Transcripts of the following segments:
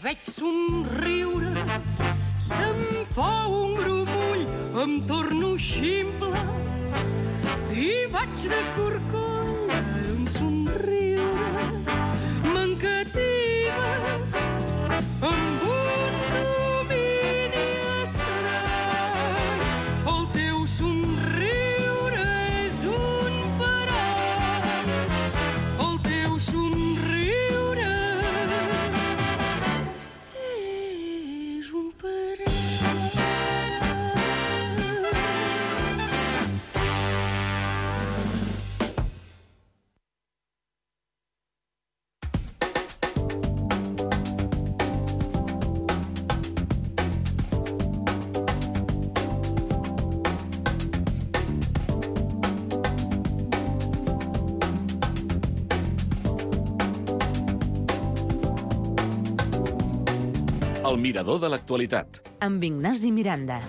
veig somriure, se'm fa un grumull, em torno ximple i vaig de corcoll un somriure. M'encatives amb un domini estrany. El teu somriure és un parany. El teu somriure és un parany. El mirador de l'actualitat. Amb Ignasi Miranda.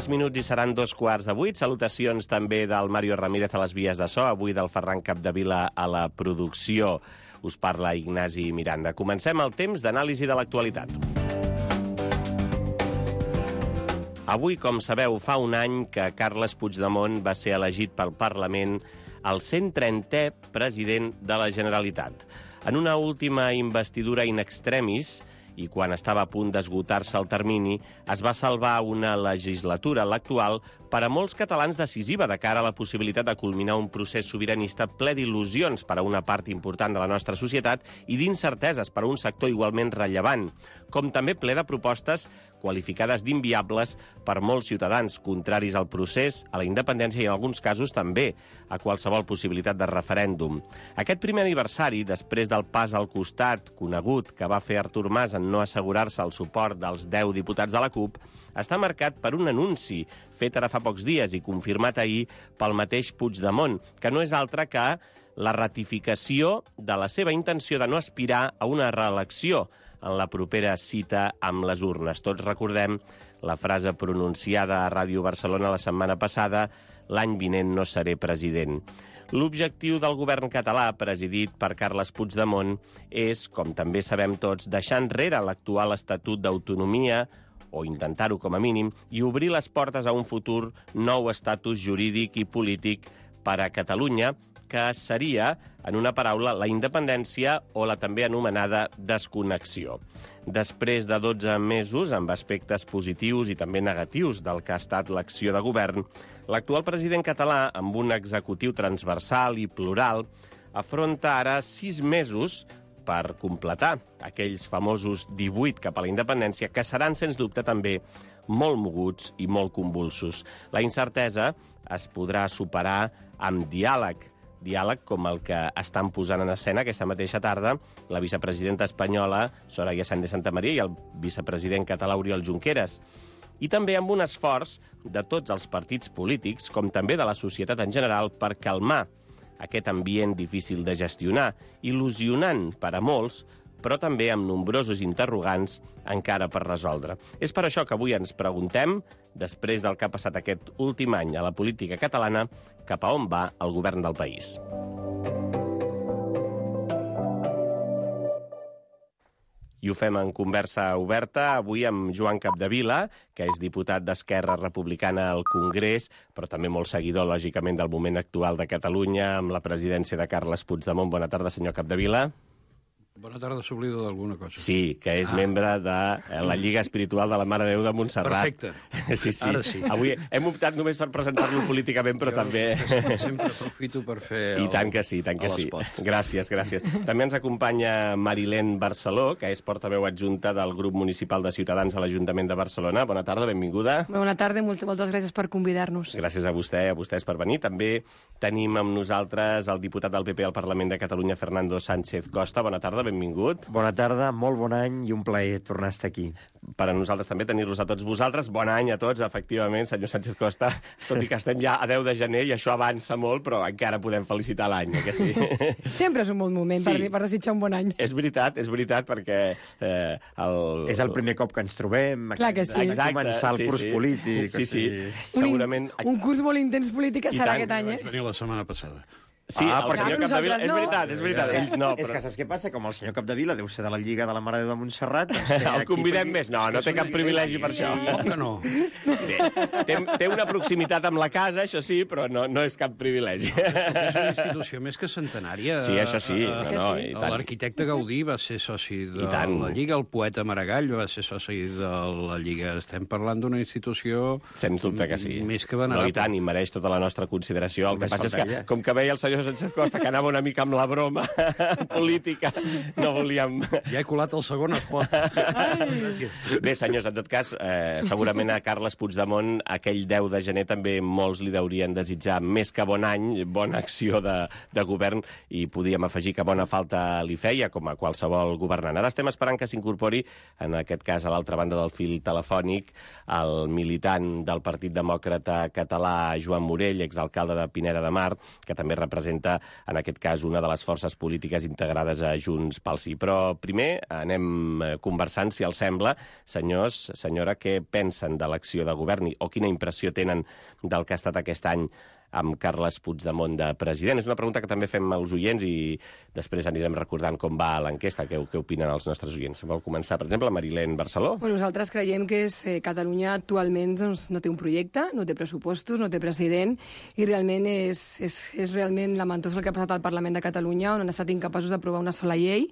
Minuts i seran 2:15. Salutacions també del Mario Ramírez a les vies de so, avui del Ferran Capdevila a la producció. Us parla Ignasi Miranda. Comencem el temps d'anàlisi de l'actualitat. Avui, com sabeu, fa un any que Carles Puigdemont va ser elegit pel Parlament el 130è president de la Generalitat. En una última investidura in extremis, i quan estava a punt d'esgotar-se el termini, es va salvar una legislatura, l'actual, per a molts catalans decisiva de cara a la possibilitat de culminar un procés sobiranista ple d'il·lusions per a una part important de la nostra societat i d'incerteses per a un sector igualment rellevant, com també ple de propostes qualificades d'inviables per molts ciutadans, contraris al procés, a la independència i, en alguns casos, també a qualsevol possibilitat de referèndum. Aquest primer aniversari, després del pas al costat conegut que va fer Artur Mas en no assegurar-se el suport dels 10 diputats de la CUP, està marcat per un anunci fet ara fa pocs dies i confirmat ahir pel mateix Puigdemont, que no és altre que la ratificació de la seva intenció de no aspirar a una reelecció en la propera cita amb les urnes. Tots recordem la frase pronunciada a Ràdio Barcelona la setmana passada: l'any vinent no seré president. L'objectiu del govern català, presidit per Carles Puigdemont, és, com també sabem tots, deixar enrere l'actual Estatut d'Autonomia, o intentar-ho com a mínim, i obrir les portes a un futur nou estatus jurídic i polític per a Catalunya, que seria, en una paraula, la independència o la també anomenada desconnexió. Després de 12 mesos, amb aspectes positius i també negatius del que ha estat l'acció de govern, l'actual president català, amb un executiu transversal i plural, afronta ara 6 mesos per completar aquells famosos 18 cap a la independència, que seran, sens dubte, també molt moguts i molt convulsos. La incertesa es podrà superar amb diàleg com el que estan posant en escena aquesta mateixa tarda la vicepresidenta espanyola Soraya Sáenz de Santamaría i el vicepresident català Oriol Junqueras. I també amb un esforç de tots els partits polítics, com també de la societat en general, per calmar aquest ambient difícil de gestionar, il·lusionant per a molts, però també amb nombrosos interrogants encara per resoldre. És per això que avui ens preguntem, després del que ha passat aquest últim any a la política catalana, cap a on va el govern del país. I ho fem en conversa oberta, avui amb Joan Capdevila, que és diputat d'Esquerra Republicana al Congrés, però també molt seguidor, lògicament, del moment actual de Catalunya, amb la presidència de Carles Puigdemont. Bona tarda, senyor Capdevila. Bona tarda, s'oblida d'alguna cosa. Sí, que és membre de la Lliga Espiritual de la Mare de Déu de Montserrat. Perfecte. Sí. Ara sí. Avui hem optat només per presentar-lo políticament, però també... Sempre aprofito per fer I tant que sí, tant que sí. Gràcies. També ens acompanya Marilén Barceló, que és portaveu adjunta del grup municipal de Ciutadans a l'Ajuntament de Barcelona. Bona tarda, benvinguda. Bona tarda i moltes gràcies per convidar-nos. Gràcies a vostès per venir. També tenim amb nosaltres el diputat del PP al Parlament de Catalunya, Fernando Sánchez Costa. Bona tarda, benvingut. Bona tarda, molt bon any i un plaer tornar a estar aquí. Per a nosaltres també tenir-los a tots vosaltres. Bon any a tots, efectivament, senyor Sánchez Costa. Tot i que estem ja a 10 de gener i això avança molt, però encara podem felicitar l'any, que sí? Sempre és un bon moment per desitjar un bon any. És veritat, perquè... És el primer cop que ens trobem. Clar que sí. Exacte, començar el curs polític. Sí. Segurament... Un curs molt intens polític serà aquest any, Vaig venir la setmana passada. Sí, el senyor Capdevila... És veritat, ells no. És que saps què passa? Com el senyor Capdevila deu ser de la Lliga de la Mare de Déu de Montserrat... El convidem més? No té cap privilegi per això. Que no. Té una proximitat amb la casa, això sí, però no és cap privilegi. És una institució més que centenària. Sí, això sí. L'arquitecte Gaudí va ser soci de la Lliga, el poeta Maragall va ser soci de la Lliga. Estem parlant d'una institució... Sens dubte que sí. Més que venerable. No, i tant, i mereix tota la nostra consideració. El que passa és que, com que veia el senyor Sánchez Costa, que anava una mica amb la broma política, no volíem... Ja he colat el segon espot. Bé, senyors, en tot cas, segurament a Carles Puigdemont aquell 10 de gener també molts li deurien desitjar més que bon any, bona acció de govern, i podíem afegir que bona falta li feia, com a qualsevol governant. Ara estem esperant que s'incorpori, en aquest cas a l'altra banda del fil telefònic, el militant del Partit Demòcrata Català, Joan Morell, exalcalde de Pineda de Mar, que també representa, en aquest cas, una de les forces polítiques integrades a Junts pel Sí. Però primer anem conversant, si els sembla, senyors, senyora, què pensen de l'acció de govern o quina impressió tenen del que ha estat aquest any amb Carles Puigdemont de president. És una pregunta que també fem als oients i després anirem recordant com va l'enquesta, què opinen els nostres oients. Vol començar, per exemple, Marilén Barceló? Bueno, nosaltres creiem que Catalunya actualment no té un projecte, no té pressupostos, no té president, i realment és realment lamentós el que ha passat al Parlament de Catalunya, on han estat incapaços d'aprovar una sola llei.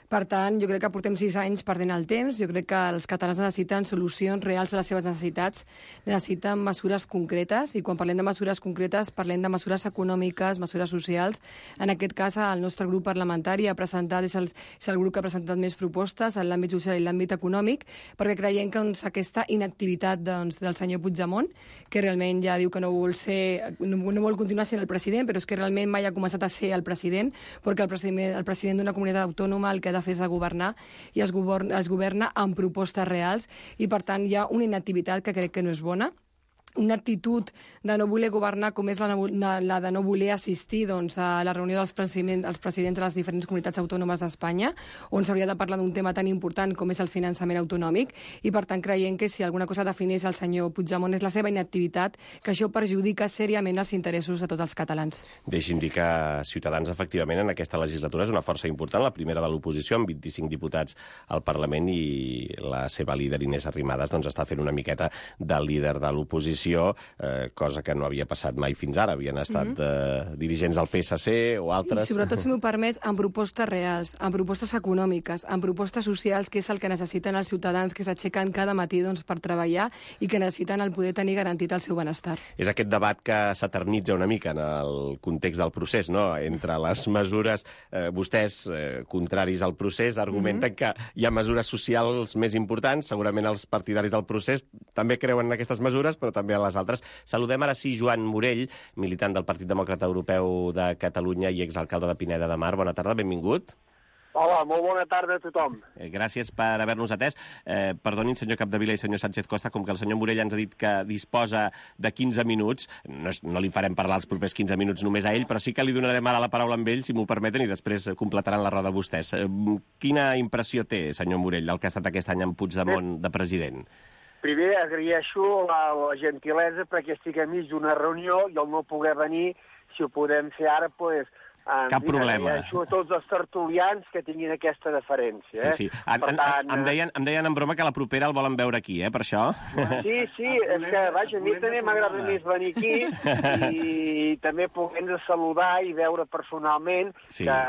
Per tant, jo crec que portem 6 anys perdent el temps. Jo crec que els catalans necessiten solucions reals a les seves necessitats, necessiten mesures concretes, i quan parlem de mesures concretes parlem de mesures econòmiques, mesures socials. En aquest cas, el nostre grup parlamentari ha presentat, és el grup que ha presentat més propostes en l'àmbit social i l'àmbit econòmic, perquè creiem que aquesta inactivitat del senyor Puigdemont, que realment ja diu que no vol continuar sent el president, però és que realment mai ha començat a ser el president, perquè el president d'una comunitat autònoma el que ha de fer és de governar, i es governa amb propostes reals, i per tant hi ha una inactivitat que crec que no és bona. Una actitud de no voler governar com és la de no voler assistir a la reunió dels presidents de les diferents comunitats autònomes d'Espanya, on s'hauria de parlar d'un tema tan important com és el finançament autonòmic, i per tant creiem que si alguna cosa defineix el senyor Puigdemont és la seva inactivitat, que això perjudica seriament els interessos de tots els catalans. Deixi'm dir que Ciutadans, efectivament, en aquesta legislatura és una força important, la primera de l'oposició, amb 25 diputats al Parlament, i la seva líder, Inés Arrimadas, està fent una miqueta de líder de l'oposició, cosa que no havia passat mai fins ara. Havien estat dirigents del PSC o altres. I sobretot, si m'ho permets, amb propostes reals, amb propostes econòmiques, amb propostes socials, que és el que necessiten els ciutadans que s'aixequen cada matí per treballar i que necessiten el poder tenir garantit el seu benestar. És aquest debat que s'eternitza una mica en el context del procés, no? Entre les mesures, vostès, contraris al procés, argumenten que hi ha mesures socials més importants. Segurament els partidaris del procés també creuen en aquestes mesures, però també a les altres. Saludem ara sí Joan Morell, militant del Partit Demòcrata Europeu de Catalunya i exalcalde de Pineda de Mar. Bona tarda, benvingut. Hola, molt bona tarda a tothom. Gràcies per haver-nos atès. Perdonin, senyor Capdevila i senyor Sánchez Costa, com que el senyor Morell ens ha dit que disposa de 15 minuts, no li farem parlar els propers 15 minuts només a ell, però sí que li donarem ara la paraula amb ell, si m'ho permeten, i després completaran la roda vostès. Quina impressió té, senyor Morell, del que ha estat aquest any amb Puigdemont de president? Primer, agraeixo la gentilesa perquè estic enmig d'una reunió i el no poder venir, si ho podem fer ara, Cap problema. Agraeixo a tots els tertulians que tinguin aquesta deferència. Sí. Em deien en broma que la propera el volen veure aquí, per això. Sí, és que, vaja, a mi també m'agrada més venir aquí i també poder-nos saludar i veure personalment, que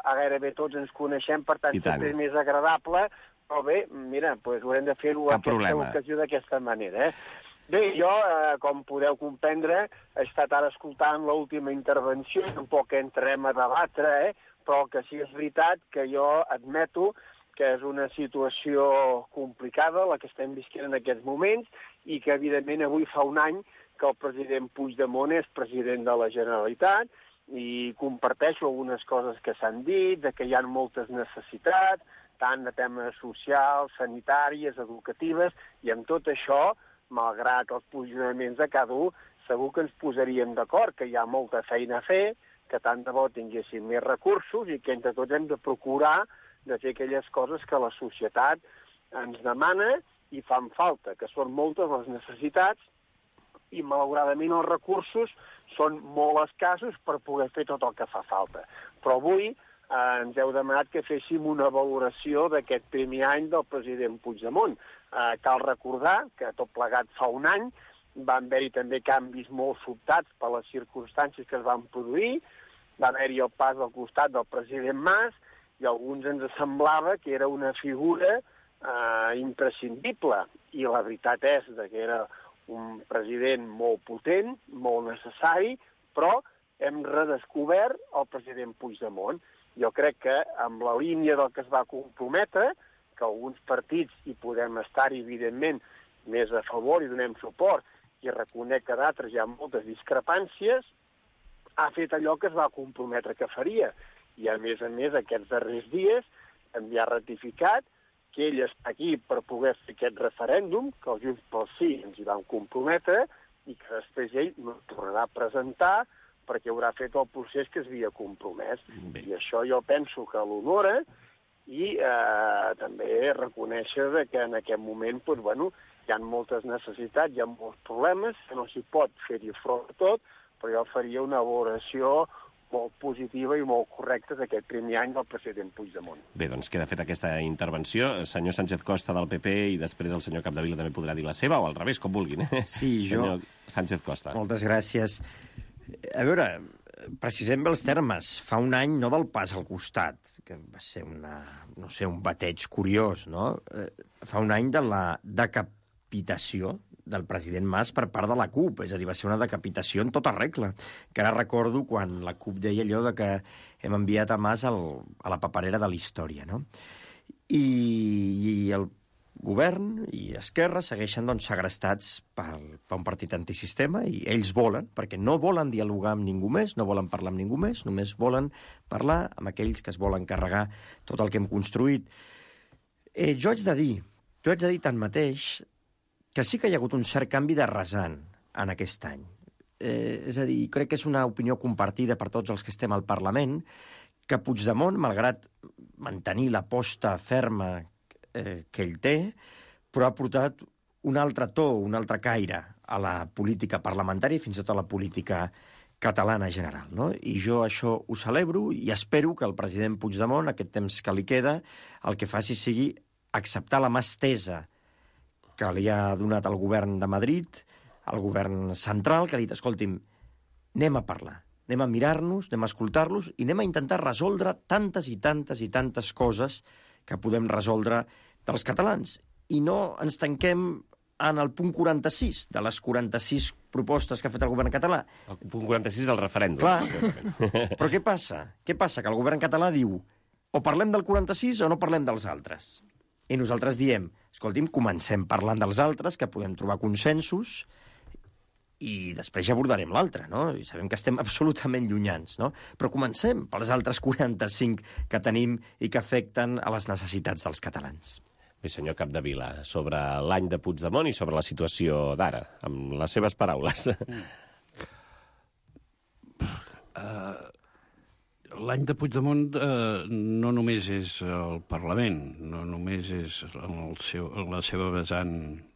gairebé tots ens coneixem, per tant, sempre és més agradable. Però bé, mira, haurem de fer-ho a aquesta ocasió d'aquesta manera, Bé, jo, com podeu comprendre, he estat ara escoltant l'última intervenció, tampoc entrarem a debatre, però que sí és veritat que jo admeto que és una situació complicada la que estem visquent en aquests moments i que, evidentment, avui fa un any que el president Puigdemont és president de la Generalitat i comparteixo algunes coses que s'han dit, de que hi ha moltes necessitats, tant de temes socials, sanitàries, educatives, i amb tot això, malgrat els posicionaments de cada un, segur que ens posaríem d'acord, que hi ha molta feina a fer, que tant de bo tinguéssim més recursos i que entre tots hem de procurar de fer aquelles coses que la societat ens demana i fan falta, que són moltes les necessitats i, malauradament, els recursos són molt escassos per poder fer tot el que fa falta. Però avui ens heu demanat que féssim una valoració d'aquest primer any del president Puigdemont. Cal recordar que tot plegat fa un any van haver-hi també canvis molt sobtats per les circumstàncies que es van produir, va haver-hi el pas al costat del president Mas i a alguns ens semblava que era una figura imprescindible i la veritat és que era un president molt potent, molt necessari, però hem redescobert el president Puigdemont. Jo crec que amb la línia del que es va comprometre, que alguns partits hi podem estar, evidentment, més a favor i donem suport, i reconec que d'altres hi ha moltes discrepàncies, ha fet allò que es va comprometre que faria. I, a més, aquests darrers dies també ha ratificat que ell està aquí per poder fer aquest referèndum, que els Junts pel Sí ens hi van comprometre, i que després ell no tornarà a presentar perquè haurà fet el procés que es havia compromès. I això jo penso que l'honora, i també reconèixer que en aquest moment hi ha moltes necessitats, hi ha molts problemes, que no s'hi pot fer-hi front a tot, però jo faria una valoració molt positiva i molt correcta d'aquest primer any del president Puigdemont. Bé, doncs queda feta aquesta intervenció. Senyor Sánchez Costa del PP i després el senyor Capdevila també podrà dir la seva, o al revés, com vulguin. Sí, jo... Senyor Sánchez Costa. Moltes gràcies. A veure, precisem bé els termes. Fa un any, no del pas al costat, que va ser un bateig curiós, no? Fa un any de la decapitació del president Mas per part de la CUP, és a dir, va ser una decapitació en tota regla. Que ara recordo quan la CUP deia allò de que hem enviat a Mas a la paperera de la història, no? I el govern i Esquerra segueixen segrestats per un partit antisistema i ells volen, perquè no volen dialogar amb ningú més, no volen parlar amb ningú més, només volen parlar amb aquells que es volen carregar tot el que hem construït. Jo haig de dir tanmateix que sí que hi ha hagut un cert canvi de rasant en aquest any. És a dir, crec que és una opinió compartida per tots els que estem al Parlament, que Puigdemont, malgrat mantenir l'aposta ferma que ell té, però ha portat un altre to, un altre caire a la política parlamentària i fins i tot a la política catalana general, no? I jo això ho celebro i espero que el president Puigdemont, aquest temps que li queda, el que faci sigui acceptar la mà estesa que li ha donat el govern de Madrid, el govern central, que ha dit, escolti'm, anem a parlar, anem a mirar-nos, anem a escoltar-los i anem a intentar resoldre tantes i tantes i tantes coses que podem resoldre dels catalans. I no ens tanquem en el punt 46 de les 46 propostes que ha fet el govern català. El punt 46 és el referèndum. Clar, però què passa? Què passa? Que el govern català diu o parlem del 46 o no parlem dels altres. I nosaltres diem, escolti'm, comencem parlant dels altres, que podem trobar consensos, i després ja abordarem l'altre, no? I sabem que estem absolutament llunyans, no? Però comencem pels altres 45 que tenim i que afecten a les necessitats dels catalans. Bé, senyor Capdevila, sobre l'any de Puigdemont i sobre la situació d'ara, amb les seves paraules. l'any de Puigdemont no només és el Parlament, no només és la seva vessant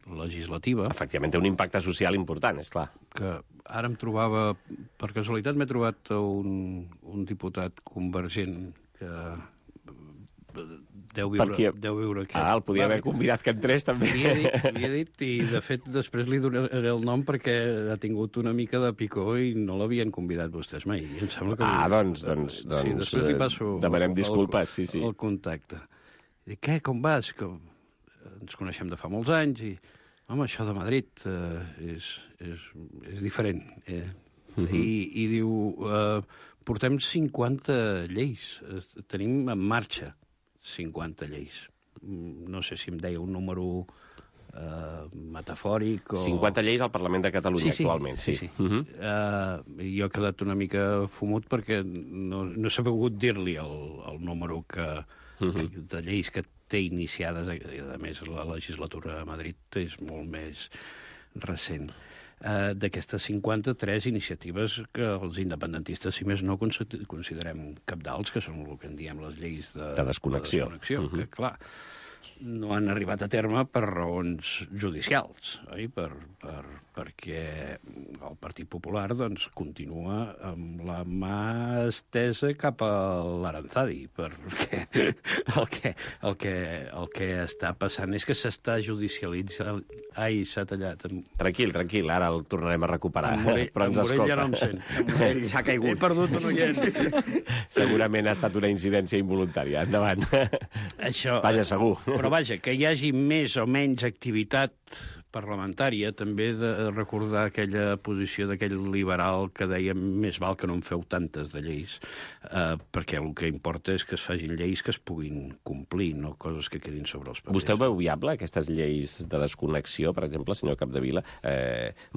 legislativa. Efectivament, té un impacte social important, és clar. Que ara em trobava, per casualitat m'he trobat un diputat convergent que deu viure aquí. El podia haver convidat que entrés, també. Li he dit, i de fet després li donaré el nom perquè ha tingut una mica de picor i no l'havien convidat vostès mai. I em sembla que doncs sí, després li passo demanem disculpes, sí. El contacte. I dic, què, com vas? Ens coneixem de fa molts anys i, home, això de Madrid és diferent. I diu, portem 50 lleis, tenim en marxa 50 lleis. No sé si em deia un número metafòric o... 50 lleis al Parlament de Catalunya actualment. Sí. Jo he quedat una mica fumut perquè no he sabut dir-li el número de lleis que té iniciades, i a més la legislatura a Madrid és molt més recent. D'aquestes 53 iniciatives que els independentistes, si més no, considerem cabdals, que són el que en diem les lleis de desconnexió. Que, clar, no han arribat a terme per raons judicials, oi? Perquè el Partit Popular doncs, continua amb la mà estesa cap a l'Aranzadi, perquè el que està passant és que s'està judicialitzant... Ai, s'ha tallat. Tranquil, ara el tornarem a recuperar. Però ens escolta. Ja no em sent. Ja ha caigut. He perdut un oient. Segurament ha estat una incidència involuntària. Endavant. Això, vaja, segur. Però vaja, que hi hagi més o menys activitat parlamentària, també de recordar aquella posició d'aquell liberal que deia més val que no en feu tantes de lleis, perquè el que importa és que es facin lleis que es puguin complir, no coses que quedin sobre els papers. Vostè ho veu viable, aquestes lleis de desconnexió, per exemple, senyor Capdevila?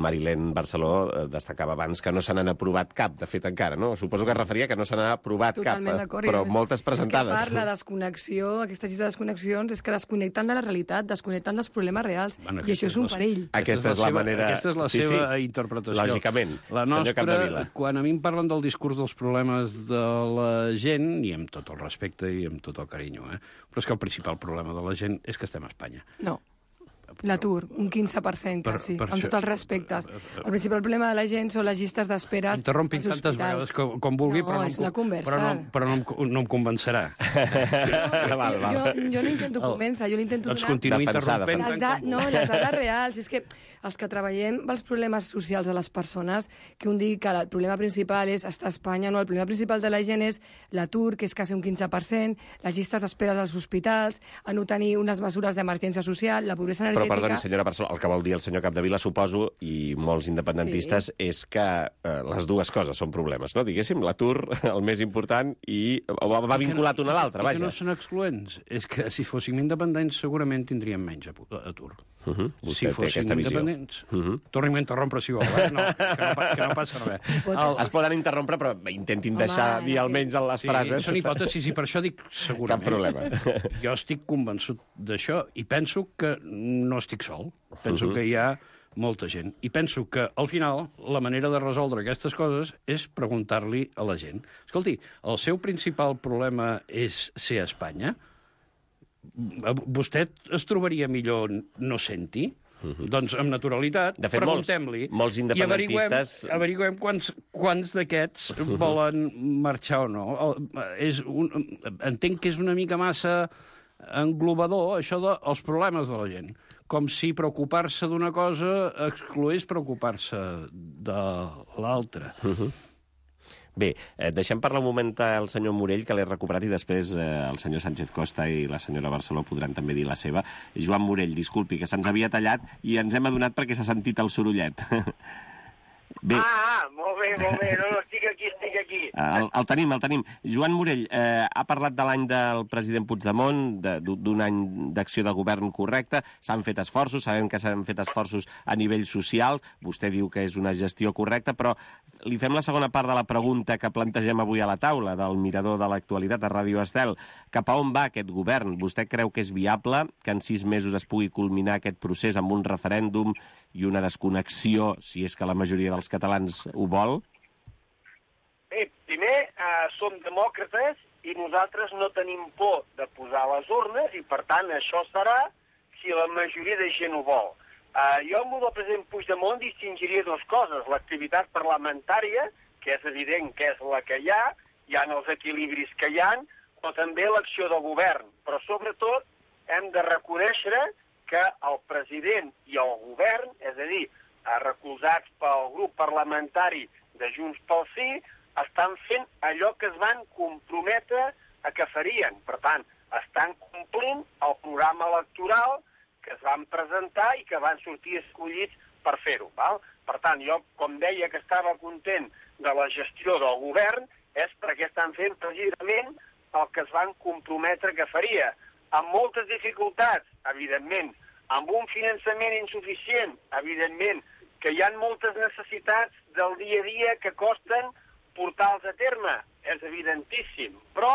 Marilén Barceló destacava abans que no se n'han aprovat cap, de fet, encara, no? Suposo que es referia que no se n'ha aprovat cap, però moltes presentades. És que parla de desconnexió, aquestes lleis de desconnexions, és que desconnecten de la realitat, desconnecten dels problemes reals, i això és un perill. Aquesta és la manera... Aquesta és la seva interpretació. Lògicament, la nostra, quan a mi em parlen del discurs dels problemes de la gent, i amb tot el respecte i amb tot el carinyo, però és que el principal problema de la gent és que estem a Espanya. No. L'atur, un 15%, quasi, amb tots els respectes. El principal problema de la gent són les llistes d'espera als hospitals. Interrompin tantes vegades com vulgui, però no em convencerà. Jo no intento convèncer, jo l'intento donar... Doncs continuï interrompent. Les dades reals, és que els que treballem els problemes socials de les persones, que un digui que el problema principal és estar a Espanya, no, el problema principal de la gent és l'atur, que és quasi un 15%, les llistes d'espera als hospitals, a no tenir unes mesures d'emergència social, la pobresa energètica... Però, perdoni, senyora Barceló, el que vol dir el senyor Capdevila, suposo, i molts independentistes, és que les dues coses són problemes, no? Diguéssim, l'atur, el més important, i va vinculat un a l'altre, vaja. I que no són excloents. És que si fóssim independents segurament tindríem menys atur. Vostè té aquesta visió. Torni'm a interrompre, si vol, no, que no passa res. Es poden interrompre, però intentin deixar dir almenys en les frases. Són hipòtesis, i per això dic segurament. Cap problema. Jo estic convençut d'això, i penso que no estic sol. Penso que hi ha molta gent. I penso que, al final, la manera de resoldre aquestes coses és preguntar-li a la gent. Escolti, el seu principal problema és ser a Espanya? Vostè es trobaria millor no sent-hi? Doncs, amb naturalitat, preguntem-li. Molts independentistes... I averiguem quants d'aquests volen marxar o no. Entenc que és una mica massa englobador, això dels problemes de la gent. Com si preocupar-se d'una cosa excloés preocupar-se de l'altra. Bé, deixem parlar un moment el senyor Morell, que l'he recuperat, i després el senyor Sánchez Costa i la senyora Barceló podran també dir la seva. Joan Morell, disculpi, que se'ns havia tallat i ens hem adonat perquè s'ha sentit el sorollet. Bé. Molt bé, no, estic aquí. El tenim. Joan Morell, ha parlat de l'any del president Puigdemont, d'un any d'acció de govern correcte, s'han fet esforços, sabem que s'han fet esforços a nivell social, vostè diu que és una gestió correcta, però li fem la segona part de la pregunta que plantegem avui a la taula, del mirador de l'actualitat a Ràdio Estel. Cap a on va aquest govern? Vostè creu que és viable que en 6 mesos es pugui culminar aquest procés amb un referèndum i una desconnexió, si és que la majoria dels catalans ho vol? Bé, primer, som demòcrates i nosaltres no tenim por de posar les urnes i, per tant, això serà si la majoria de gent ho vol. Jo amb el president Puigdemont distingiria dues coses. L'activitat parlamentària, que és evident que és la que hi ha els equilibris que hi ha, però també l'acció de govern. Però, sobretot, hem de reconèixer que el president i el govern, és a dir, recolzats pel grup parlamentari de Junts pel Sí, estan fent allò que es van comprometre a que farien. Per tant, estan complint el programa electoral que es van presentar i que van sortir escollits per fer-ho. Per tant, jo, com deia que estava content de la gestió del govern, és perquè estan fent precisament el que es van comprometre que faria. Amb moltes dificultats, evidentment, amb un finançament insuficient, evidentment, que hi ha moltes necessitats del dia a dia que costen portar-los a terme, és evidentíssim, però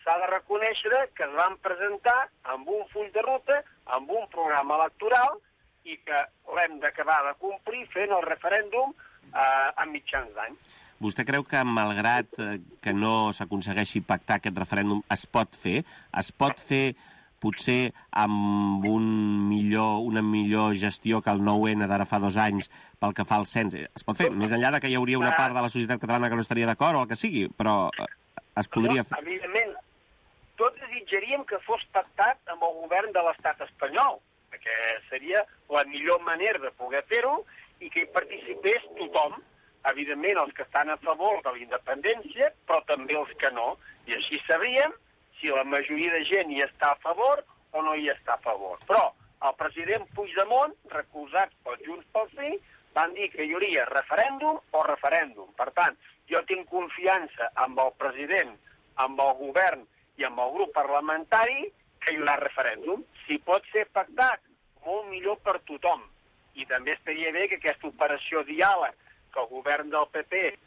s'ha de reconèixer que es van presentar amb un full de ruta, amb un programa electoral, i que l'hem d'acabar de complir fent el referèndum a mitjans d'any. Vostè creu que, malgrat que no s'aconsegueixi pactar aquest referèndum, es pot fer? Es pot fer, potser, amb una millor gestió que el 9-N d'ara fa 2 anys pel que fa al cens? Es pot fer, més enllà de que hi hauria una part de la societat catalana que no estaria d'acord o el que sigui, però es podria fer. Evidentment, tots desitjaríem que fos pactat amb el govern de l'estat espanyol, perquè seria la millor manera de poder fer-ho i que hi participés tothom, evidentment els que estan a favor de la independència, però també els que no, i així sabríem si la majoria de gent hi està a favor o no hi està a favor. Però el president Puigdemont, recolzats per Junts pel Sí, van dir que hi hauria referèndum o referèndum. Per tant, jo tinc confiança amb el president, amb el govern i amb el grup parlamentari que hi haurà referèndum. Si pot ser pactat, molt millor per tothom. I també estaria bé que aquesta operació diàleg que el govern del PP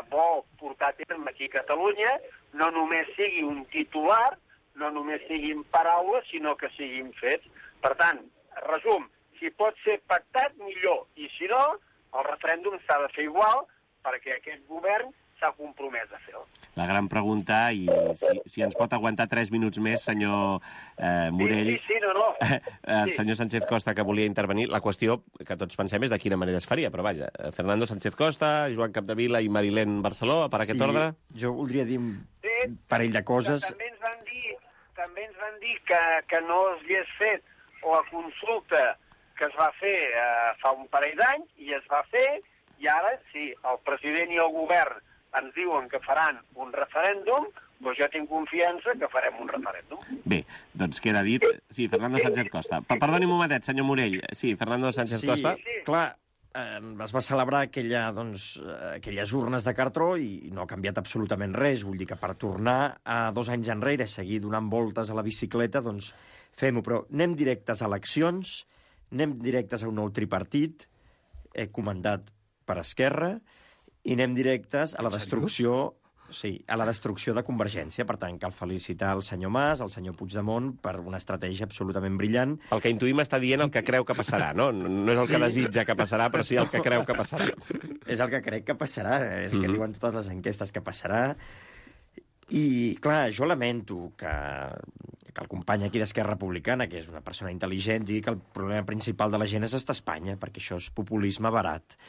vol portar a terme aquí a Catalunya no només sigui un titular, no només siguin paraules, sinó que siguin fets. Per tant, resum, si pot ser pactat, millor. I si no, el referèndum s'ha de fer igual perquè aquest govern s'ha compromès a fer-ho. La gran pregunta, i si ens pot aguantar 3 minuts més, senyor Morell. Sí, no. Senyor Sánchez Costa, que volia intervenir. La qüestió que tots pensem és de quina manera es faria, però vaja, Fernando Sánchez Costa, Joan Capdevila i Marilén Barceló, per aquest ordre. Jo voldria dir un parell de coses. També ens van dir que no s'hagués fet la consulta que es va fer fa un parell d'anys, i es va fer, i ara, sí, el president i el govern ens diuen que faran un referèndum, doncs jo tinc confiança que farem un referèndum. Bé, doncs queda dit. Sí, Fernando Sánchez Costa. Perdoni un momentet, senyor Morell. Sí, Fernando Sánchez Costa. Sí, clar, es va celebrar aquelles urnes de cartró i no ha canviat absolutament res. Vull dir que per tornar a 2 anys enrere, seguir donant voltes a la bicicleta, doncs fem-ho. Però anem directes a eleccions, anem directes a un nou tripartit, comandat per Esquerra, i anem directes a la destrucció... Sí, a la destrucció de Convergència. Per tant, cal felicitar el senyor Mas, el senyor Puigdemont, per una estratègia absolutament brillant. El que intuïm està dient el que creu que passarà, no? No és el que desitja que passarà, però sí el que creu que passarà. És el que crec que passarà, és que diuen totes les enquestes que passarà. I, clar, jo lamento que el company aquí d'Esquerra Republicana, que és una persona intel·ligent, digui que el problema principal de la gent és estar a Espanya, perquè això és populisme barat.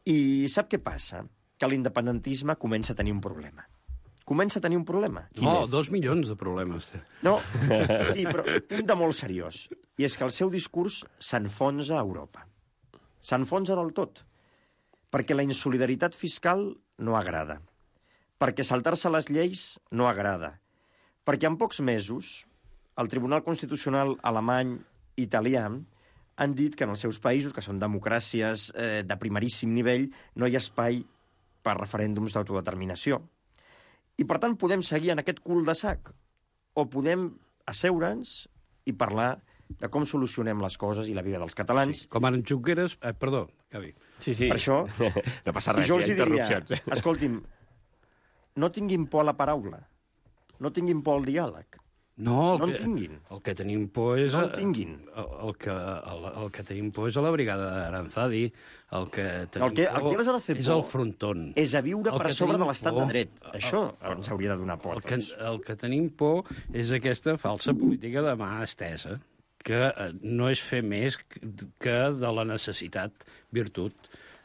I sap què passa? Que l'independentisme comença a tenir un problema. Comença a tenir un problema. No, 2 milions de problemes. No, sí, però un de molt seriós. I és que el seu discurs s'enfonsa a Europa. S'enfonsa del tot. Perquè la insolidaritat fiscal no agrada. Perquè saltar-se les lleis no agrada. Perquè en pocs mesos el Tribunal Constitucional alemany i italià han dit que en els seus països, que són democràcies de primeríssim nivell, no hi ha espai per referèndums d'autodeterminació. I, per tant, podem seguir en aquest cul de sac o podem asseure'ns i parlar de com solucionem les coses i la vida dels catalans. Sí, com ara en Junqueras... perdó, Gavi. Sí. Per això... No passa res, jo hi ha interrupcions. Escolti'm, no tinguin por a la paraula, no tinguin por al diàleg. No, en tinguin. El que tenim por és... No en tinguin. El que tenim por és a la brigada d'Aranzadi. El que tenim el que les ha de fer és por el frontón. És a viure per sobre de l'estat de dret. Això ens hauria de donar por. El que tenim por és aquesta falsa política de mà estesa, que no és fer més que de la necessitat virtut.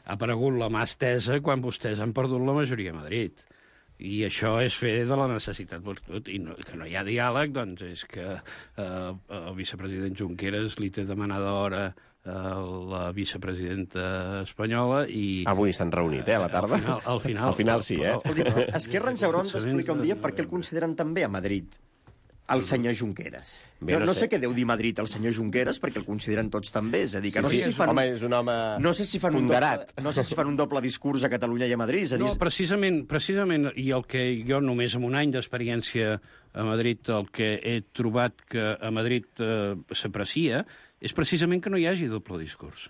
Ha aparegut la mà estesa quan vostès han perdut la majoria a Madrid. I això és fer de la necessitat virtut. I que no hi ha diàleg, doncs és que el vicepresident Junqueras li té demanada hora a la vicepresidenta espanyola i... Avui s'han reunit, a la tarda? Al final sí, eh? Esquerra ens hauran d'explicar un dia per què el consideren també a Madrid, el senyor Junqueras. No sé què deu dir Madrid el senyor Junqueras, perquè el consideren tots també. És a dir, que no sé si fan... Home, és un home ponderat. No sé si fan un doble discurs a Catalunya i a Madrid. És a dir... No, precisament, i el que jo només amb un any d'experiència a Madrid, el que he trobat que a Madrid s'aprecia, és precisament que no hi hagi doble discurs.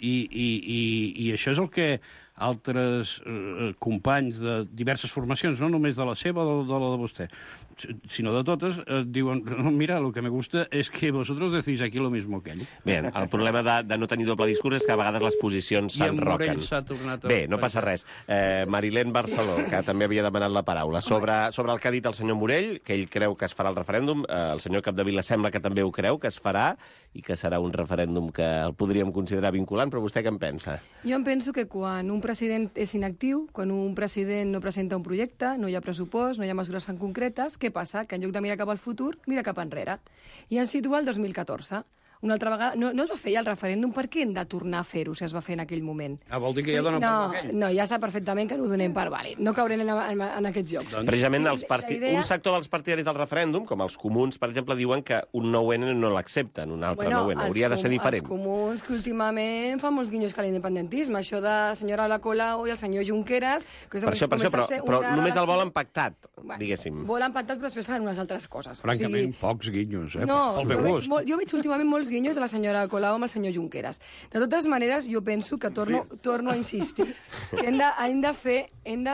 I això és el que altres companys de diverses formacions, no només de la seva o de la de vostè, sinó de totes, diuen, mira, lo que me gusta es que vosotros decís aquí lo mismo que ell. Bé, el problema de no tenir doble discurs és que a vegades les posicions s'enroquen. Bé, no passa res. Marilén Barceló, que també havia demanat la paraula, sobre el que ha dit el senyor Morell, que ell creu que es farà el referèndum, el senyor Capdevila sembla que també ho creu, que es farà, i que serà un referèndum que el podríem considerar vinculant, però vostè què en pensa? Jo em penso que quan un president és inactiu, quan un president no presenta un projecte, no hi ha pressupost, no hi ha mesures tan concretes, què passa? Que en lloc de mirar cap al futur, mira cap enrere. I ens situa el 2014. Una altra vegada... No es va fer ja el referèndum, per què hem de tornar a fer-ho si es va fer en aquell moment? Vol dir que ja donen per aquell? No, ja sap perfectament que no ho donem per vàlid. No caurem en aquests jocs. Precisament un sector dels partidaris del referèndum, com els comuns, per exemple, diuen que un 9N no l'accepten, un altre 9N. Hauria de ser diferent. Els comuns, que últimament fan molts guinyos que l'independentisme. Això de la senyora Ada Colau i el senyor Junqueras... Per això, però només el volen pactat, diguéssim. Volen pactat, però després fan unes altres coses. Francament, pocs guinyos, eh? No, jo veig últimament molts guinyos de la senyora Colau amb el senyor Junqueras. De totes maneres, jo penso que torno a insistir que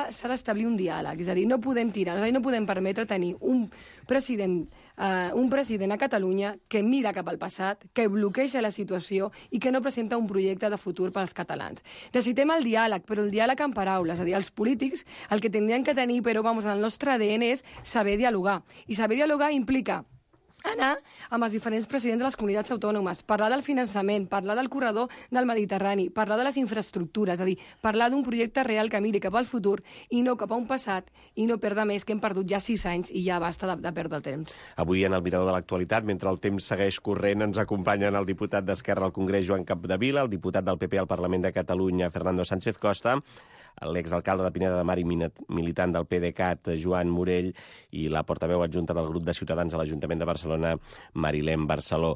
s'ha d'establir un diàleg. És a dir, no podem tirar, no podem permetre tenir un president a Catalunya que mira cap al passat, que bloqueja la situació i que no presenta un projecte de futur pels catalans. Necessitem el diàleg, però el diàleg en paraules. És a dir, els polítics el que tindrien que tenir, però en el nostre ADN és saber dialogar. I saber dialogar implica anar amb els diferents presidents de les comunitats autònomes, parlar del finançament, parlar del corredor del Mediterrani, parlar de les infraestructures, és a dir, parlar d'un projecte real que miri cap al futur i no cap a un passat i no perdre més, que hem perdut ja 6 anys i ja basta de perdre el temps. Avui en el Mirador de l'Actualitat, mentre el temps segueix corrent, ens acompanyen el diputat d'Esquerra al Congrés, Joan Capdevila, el diputat del PP al Parlament de Catalunya, Fernando Sánchez Costa, l'exalcalde de Pineda de Mar i militant del PDeCAT, Joan Morell, i la portaveu adjunta del grup de Ciutadans a l'Ajuntament de Barcelona, Marilén Barceló.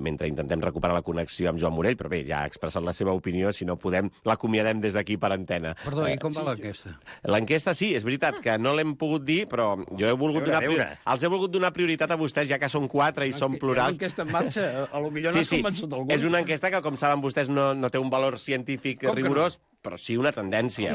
Mentre intentem recuperar la connexió amb Joan Morell, però bé, ja ha expressat la seva opinió, si no podem, l'acomiadem des d'aquí per antena. Perdó, i com va l'enquesta? L'enquesta sí, és veritat que no l'hem pogut dir, però jo he volgut els he volgut donar prioritat a vostès, ja que són 4 i són plurals. L'enquesta en marxa, a lo millor no ha convençut algú. És una enquesta que, com saben vostès, no té un valor científic rigorós, però sí una tendència,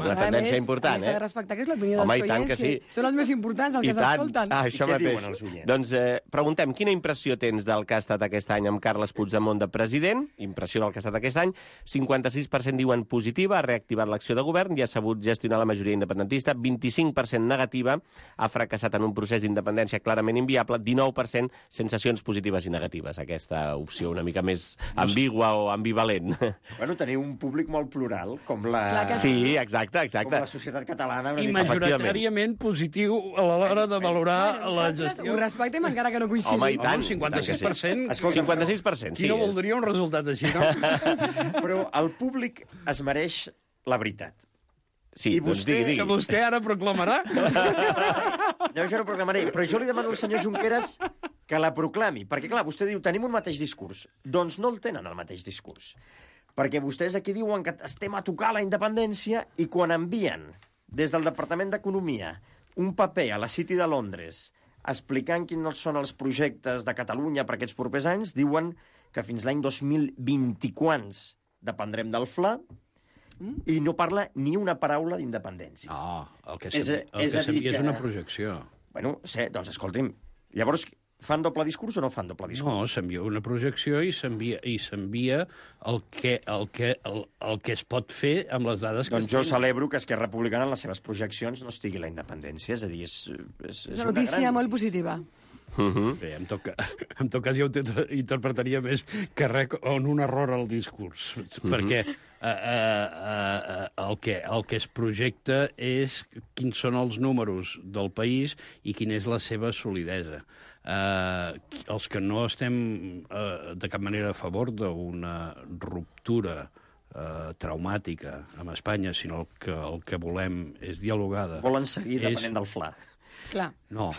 important. S'ha de respectar que és l'opinió dels oients, que són els més importants, els que s'escolten. Això mateix. Doncs preguntem, quina impressió tens del que ha estat aquest any amb Carles Puigdemont de president? Impressió del que ha estat aquest any. 56% diuen positiva, ha reactivat l'acció de govern i ha sabut gestionar la majoria independentista. 25% negativa, ha fracassat en un procés d'independència clarament inviable. 19% sensacions positives i negatives. Aquesta opció una mica més ambigua o ambivalent. Bueno, teniu un públic molt plural, com la... Sí, exacte. Com la societat catalana. I majoritàriament positiu a l'hora de valorar la gestió. Ho respectem encara que no coincidim. Home, i tant. 56%. 56%, sí. Qui no voldria un resultat així, no? Però el públic es mereix la veritat. Sí, i vostè, digui. Que vostè ara proclamarà? No, jo no proclamaré, però jo li demano al senyor Junqueras que la proclami. Perquè, clar, vostè diu, tenim un mateix discurs. Doncs no el tenen, el mateix discurs. Perquè vostès aquí diuen que estem a tocar la independència i quan envien des del Departament d'Economia un paper a la City de Londres explicant quins són els projectes de Catalunya per aquests propers anys, diuen que fins l'any 2024 dependrem del FLA i no parla ni una paraula d'independència. No, el que sabia és una projecció. Bueno, doncs escolti'm, Llavors, fan doble discurs o no fan doble discurs? No, s'envia una projecció i s'envia el que es pot fer amb les dades que Doncs jo celebro que Esquerra Republicana en les seves projeccions no estigui la independència. És a dir, és una notícia molt positiva. Bé, en tot cas jo ho interpretaria més que res on un error al discurs, perquè el que es projecta és quins són els números del país i quina és la seva solidesa. Els que no estem de cap manera a favor d'una ruptura traumàtica amb Espanya, sinó que el que volem és dialogada. Volen seguir depenent del FLA. Clar. No.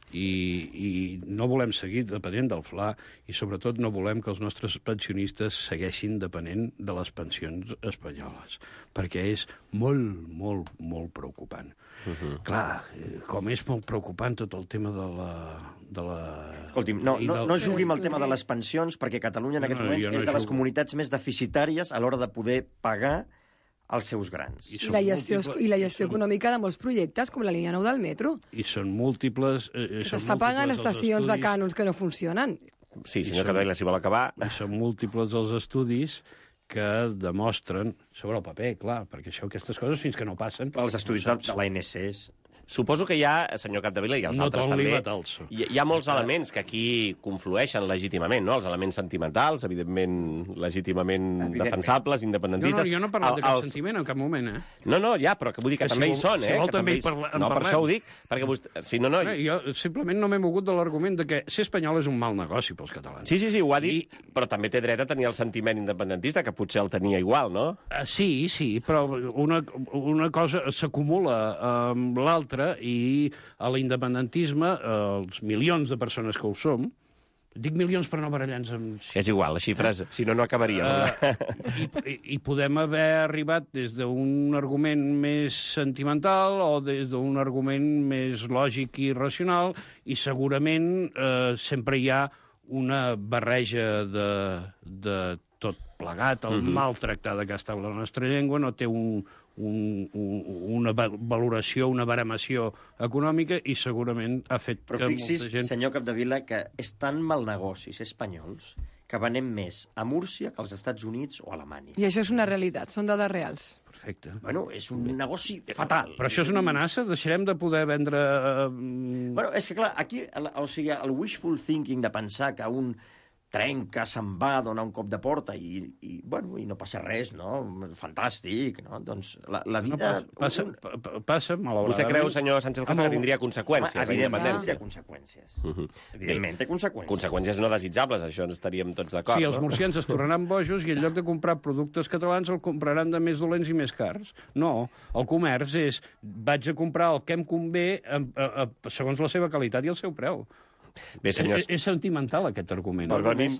I no volem seguir depenent del FLA i, sobretot, no volem que els nostres pensionistes segueixin depenent de les pensions espanyoles, perquè és molt, molt, molt preocupant. Clar, com és molt preocupant tot el tema de la... Escolti'm, no jugui amb el tema de les pensions, perquè Catalunya en aquests moments és de les comunitats més deficitàries a l'hora de poder pagar els seus grans. I la gestió econòmica de molts projectes, com la línia 9 del metro. I són múltiples... S'està pagant estacions de cànons que no funcionen. Sí, senyor Capdevila, si vol acabar... I són múltiples els estudis que demostren, sobre el paper, clar, perquè aquestes coses fins que no passen... Els estudis de l'ANC. Suposo que hi ha, senyor Capdevila, i els altres també, hi ha molts elements que aquí conflueixen legítimament, no? Els elements sentimentals, evidentment, legítimament defensables, independentistes... No, jo no he parlat de cap sentiment en cap moment, No, ja, però que vull dir que també hi són, Si vol també hi parlem. No, per això ho dic, perquè vostè... Jo simplement no m'he mogut de l'argument de que ser espanyol és un mal negoci pels catalans. Sí, ho ha dit, però també té dret a tenir el sentiment independentista, que potser el tenia igual, no? Sí, però una cosa s'acumula amb l'altra i a l'independentisme, els milions de persones que ho som, dic milions per no barallar-nos amb... És igual, les xifres, si no acabaríem. I podem haver arribat des d'un argument més sentimental o des d'un argument més lògic i racional, i segurament sempre hi ha una barreja de tot plegat. El maltractar que està la nostra llengua no té una valoració, una baremació econòmica, i segurament ha fet que molta gent... Però fixi's, senyor Capdevila, que és tan mal negoci ser espanyols que venem més a Múrcia que als Estats Units o a Alemanya. I això és una realitat, són dades reals. Perfecte. Bueno, és un negoci fatal. Però això és una amenaça? Deixarem de poder vendre... Bueno, és que clar, aquí, o sigui, el wishful thinking de pensar que un trenca, se'n va, dona un cop de porta i no passa res, no? Fantàstic, no? Doncs la vida... Passa, malauradament. Vostè creu, senyor Sánchez Costa, que tindria conseqüències? Evidentment, té conseqüències. Evidentment, té conseqüències. Conseqüències no desitjables, això ens estaríem tots d'acord. Sí, els murcians es tornaran bojos i en lloc de comprar productes catalans el compraran de més dolents i més cars. No, el comerç és vaig a comprar el que em convé segons la seva qualitat i el seu preu. Bé, senyors... És sentimental, aquest argument. No només.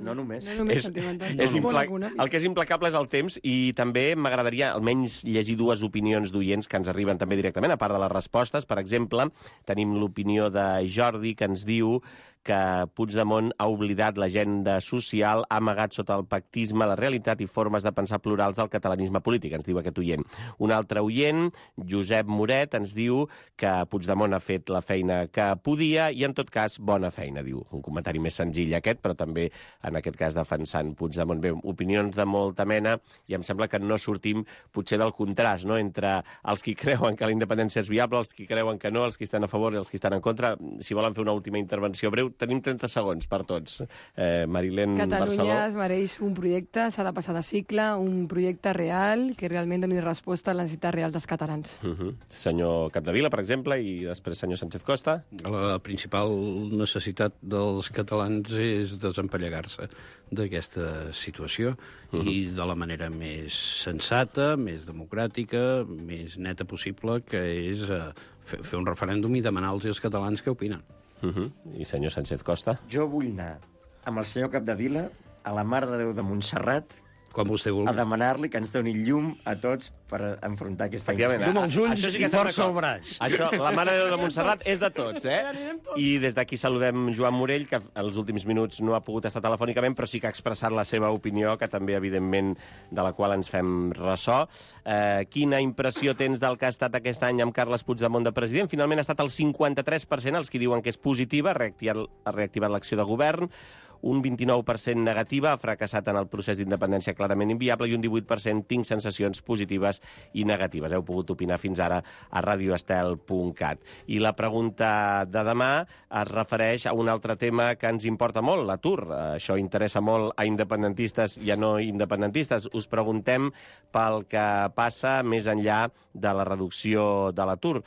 Sentimental. El que és implacable és el temps, i també m'agradaria almenys llegir dues opinions d'oients que ens arriben també directament, a part de les respostes. Per exemple, tenim l'opinió de Jordi, que ens diu que Puigdemont ha oblidat l'agenda social, ha amagat sota el pactisme la realitat i formes de pensar plurals del catalanisme polític, ens diu aquest oient. Un altre oient, Josep Moret, ens diu que Puigdemont ha fet la feina que podia i, en tot cas, bona feina, diu. Un comentari més senzill aquest, però també, en aquest cas, defensant Puigdemont. Bé, opinions de molta mena, i em sembla que no sortim potser del contrast, no?, entre els qui creuen que la independència és viable, els qui creuen que no, els qui estan a favor i els qui estan en contra. Si volen fer una última intervenció breu, tenim 30 segons per tots. Marilén Barceló. Catalunya es mereix un projecte, s'ha de passar de cicle, un projecte real que realment doni resposta a les necessitats reals dels catalans. Senyor Capdevila, per exemple, i després senyor Sánchez Costa. La principal necessitat dels catalans és desempallegar-se d'aquesta situació i de la manera més sensata, més democràtica, més neta possible, que és fer un referèndum i demanar als catalans què opinen. I senyor Sánchez Costa? Jo vull anar amb el senyor Capdevila a la Mare de Déu de Montserrat Com vostè vulgui. A demanar-li que ens doni llum a tots per enfrontar aquesta Efectivament. amb els ulls Això sí que i estem força al d'acord. braç. Això, la Mare de Déu de Montserrat és de tots, I des d'aquí saludem Joan Morell, que els últims minuts no ha pogut estar telefònicament, però sí que ha expressat la seva opinió, que també, evidentment, de la qual ens fem ressò. Quina impressió tens del que ha estat aquest any amb Carles Puigdemont de president? Finalment ha estat el 53% els que diuen que és positiva, ha reactivat l'acció de govern, un 29% negativa, ha fracassat en el procés d'independència clarament inviable, i un 18% tinc sensacions positives i negatives. Heu pogut opinar fins ara a radioestel.cat. I la pregunta de demà es refereix a un altre tema que ens importa molt, l'atur. Això interessa molt a independentistes i a no independentistes. Us preguntem pel que passa més enllà de la reducció de l'atur.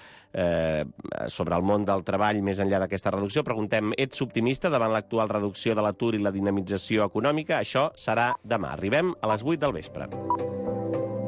Sobre el món del treball, més enllà d'aquesta reducció, preguntem, ets optimista davant l'actual reducció de l'atur i la dinamització econòmica? Això serà demà. Arribem a les 8 del vespre.